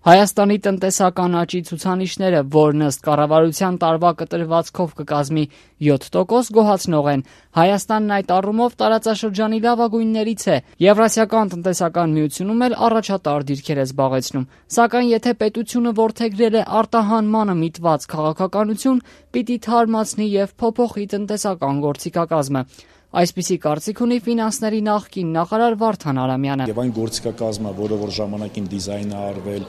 Հայաստանի տնտեսական աճի ցուցանիշները, որն ըստ կառավարության տարվա կտրվածքով կկազմի 7%, գոհացնող են։ Հայաստանն այդ առումով տարածաշրջանի լավագույններից է։ Եվրասիական տնտեսական միությունում էլ առաջատար դիրքեր է զբաղեցնում։ Սակայն եթե պետությունը որդեգրել է արտահանմանը միտված քաղաքականություն, պիտի թարմացնի եւ փոփոխի տնտեսական գործիքակազմը։ Այսպիսի կարծիք ունի ֆինանսների նախկին նախարար Վարդան Արամյանը։ Եվ այն գործիքակազմը, որը որ ժամանակին դիզայն է արվել,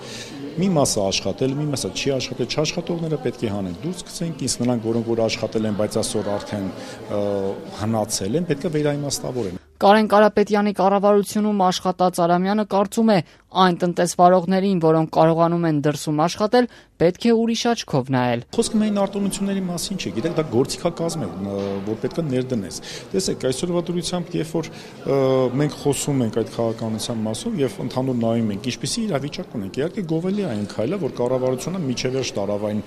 մի մասը աշխատել, մի մասը չի աշխատել, չաշխատողները պետք է հանեն դուրս գցենք, իսկ նրանք, որոնք որ աշխատել են, բայց այսօր արդեն հնացել են, պետք է վերաիմաստավորեն։ Կարեն Կարապետյանի կառավարությունում աշխատած Արամյանը կարծում է, այն տնտեսվարողներին, որոնք կարողանում են դրսում աշխատել, պետք է ուրիշ աչքով նայել։ Խոսքը միայն արտոնությունների մասին չէ, գիտեք, դա գործիքակազմ է, որ պետք է ներդնես։ Տեսեք, այսօրվա դրությամբ, երբ որ մենք խոսում ենք այդ քաղաքականության մասով եւ ընդհանուր նայում ենք, ինչպիսի իրավիճակ ունենք, իհարկե գովելի է այն քայլը, որ կառավարությունը միջևերջ տարավ այն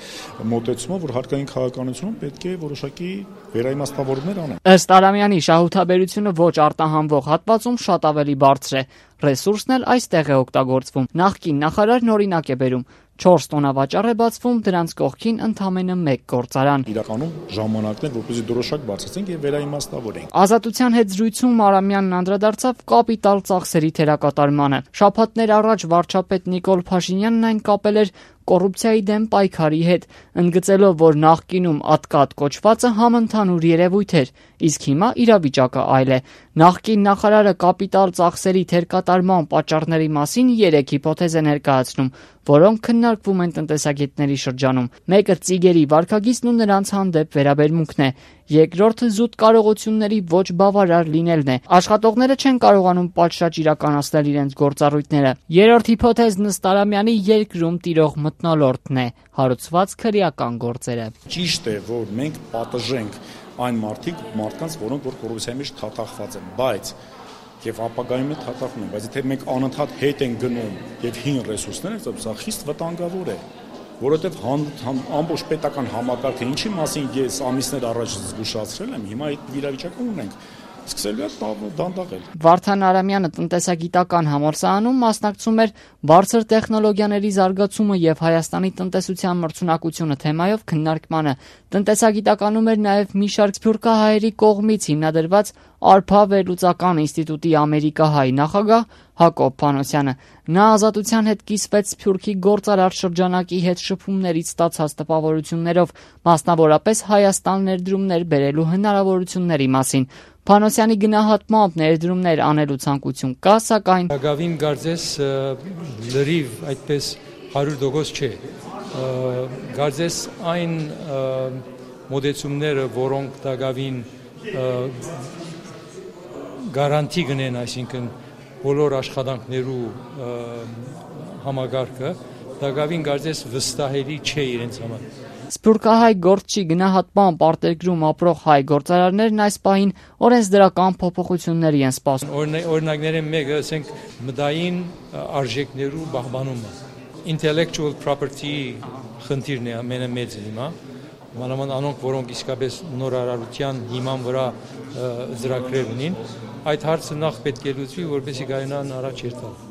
մոտեցումը, որ հարկային քաղաքականությունում պետք է որոշակի վերաիմաստավորումներ անեն։ Ըստ Արամյանի, շահութաբերությունը ոչ արտահանվող հատվածում շատ ավելի բարձր է։ Ռեսուրսն էլ այստեղ է օգտագործվում։ Նախկին նախարարն օրինակ է բերում. 4 տոնավաճառ է բացվում, դրանց կողքին ընդամենը 1 գործարան։ Իրականում ժամանակն է, որպեսզի դրոշակ բարձրացնենք եւ վերաիմաստավորենք։ Ազատության հետ զրույցում Արամյանն անդրադարձավ կապիտալ ծախսերի թերակատարմանը։ Շաբաթներ առաջ վարչապետ Նիկոլ Փաշինյանն այն կապել էր կոռուպցիայի դեմ պայքարի հետ, ընդգծելով, որ նախկինում ատկատ կոչվածը համընդհանուր երևույթ էր, իսկ հիմա իրավիճակը այլ է։ Նախկին նախարարը կապիտալ ծախսերի թերկատարման պատճառների մասին 3 հիպոթեզ է ներկայացնում, որոնք քննարկվում են տնտեսագետների շրջանում։ Մեկը ծիգերի վարքագիծն ու նրանց հանդեպ վերաբերմունքն է։ Երկրորդը զուտ կարողությունների ոչ բավարար լինելն է։ Աշխատողները չեն կարողանում պատշաճ իրականացնել իրենց գործառույթները։ Երրորդ հիպոթեզն ըստ Արամյանի երկրում տիրող մթնոլորտն է, հարուցված քրեական գործերը։ Ճիշտ է, որ մենք պատժենք այն մարդկանց, որոնք որ կոռուպցիայի մեջ թաթախված են, բայց եւ ապագայում էլ թաթախում են, բայց եթե մենք անընդհատ հետ են գնում եւ հին ռեսուրսներ են, սա խիստ վտանգավոր է, որովհետեւ ամբողջ պետական համակարգը, ինչի մասին ես ամիսներ առաջ զգուշացրել եմ, հիմա այդ վիճակում ունենք, սկսելու է դանդաղել։ Վարդան Արամյանը տնտեսագիտական համալսարանում մասնակցում էր բարձր տեխնոլոգիաների զարգացումը եւ Հայաստանի տնտեսության մրցունակությունը թեմայով քննարկմանը։ Տնտեսագիտականում էր նաեւ մի շարք սփյուռքահայերի կողմից հիմնադրված Արփա վերլուծական ինստիտուտի ամերիկահայ նախագահ Հակոբ Փանոսյանը։ Նա Ազատության հետ կիսվեց Սփյուռքի գործարար շրջանակի հետ շփումներից ստացած տպավորություններով, մասնավորապես Հայաստան ներդրումներ բերելու հնարավորությունների մասին։ Փանոսյանի գնահատմամբ ներդրումներ անելու ցանկություն կա, սակայն Գավին Գարձես լրիվ այդպես 100% չէ։ Գարձես այն մոդեցումները, որոնք Դագավին գարանտի գնեն, այսինքն բոլոր աշխատանքներու համագարկը, Դագավին Գարձես վստահելի չէ իրենց համար։ Սփյուռքահայ գործչի գնահատմամբ արտերկրում ապրող հայ գործարարներն այս պահին օրենսդրական փոփոխությունների են սպասում։ Օրինակների մեկը, ասենք, մտային արժեքներու բահբանումը, intellectual property խնդիրն է ամենամեծը հիմա, մանավանդ անոնք, որոնք իսկապես նորարարության հիման վրա ծրագրեր ունին, այդ հարցը նախ պետք է լուծվի, որպեսզի կարողանան առաջ երթալ։